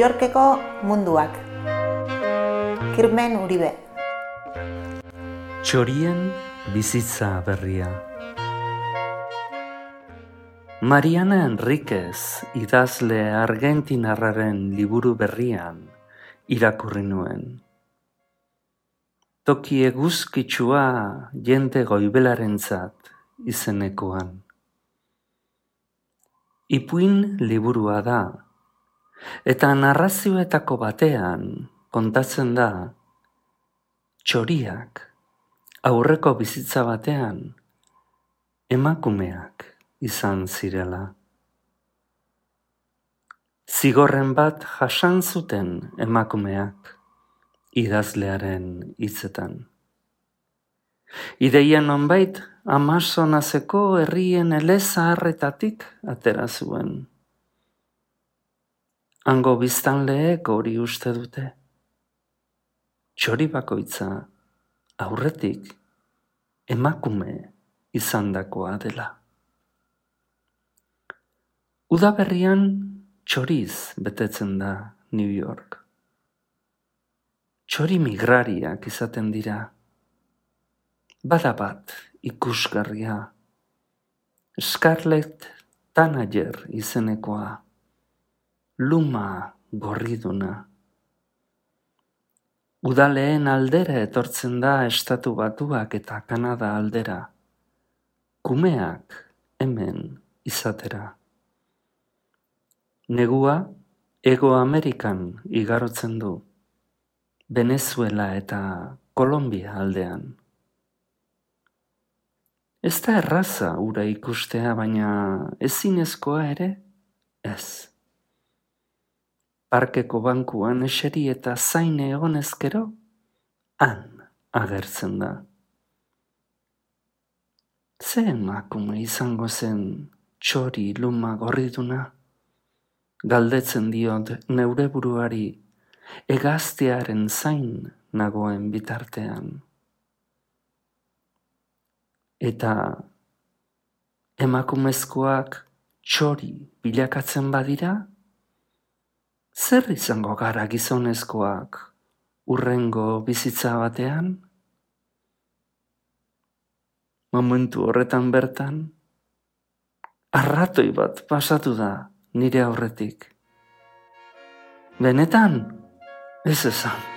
Yorkeko munduak. Kirmen Uribe. Txorien bizitza berria. Mariana Enriquez idazle argentinarraren liburu berrian irakurri nuen. Toki eguzkitsua jende goibelarentzat izenekoan. Ipuin liburua da, eta narrazioetako batean kontatzen da txoriak aurreko bizitza batean emakumeak izan zirela. Zigorren bat jasan zuten emakumeak idazlearen hitzetan. Ideia nonbait Amazonaseko herrien elezaharretatik atera zuen. Hango biztanleek hori uste dute. Txori bakoitza aurretik emakume izandakoa dela. Udaberrian txoriz betetzen da New York. Txori migrariak izaten dira. Bada bat ikusgarria. Scarlett Tanager izenekoa. Luma gorriduna. Udaleen aldera etortzen da Estatu Batuak eta Kanada aldera. Kumeak hemen izatera. Negua Hego Amerikan igarotzen du. Venezuela eta Kolombia aldean. Ez da erraza ura ikustea, baina ezinezkoa ere ez. Parkeko bankuan eseri eta zain egon ezkero, han agertzen da. Ze emakume izango zen txori luma gorriduna? Galdetzen diot neure buruari hegaztiaren zain nagoen bitartean. Eta emakumezkoak txori bilakatzen badira, zer izango gara gizonezkoak hurrengo bizitza batean? Momentu horretan bertan, arratoi bat pasatu da nire aurretik. Benetan, ez esan.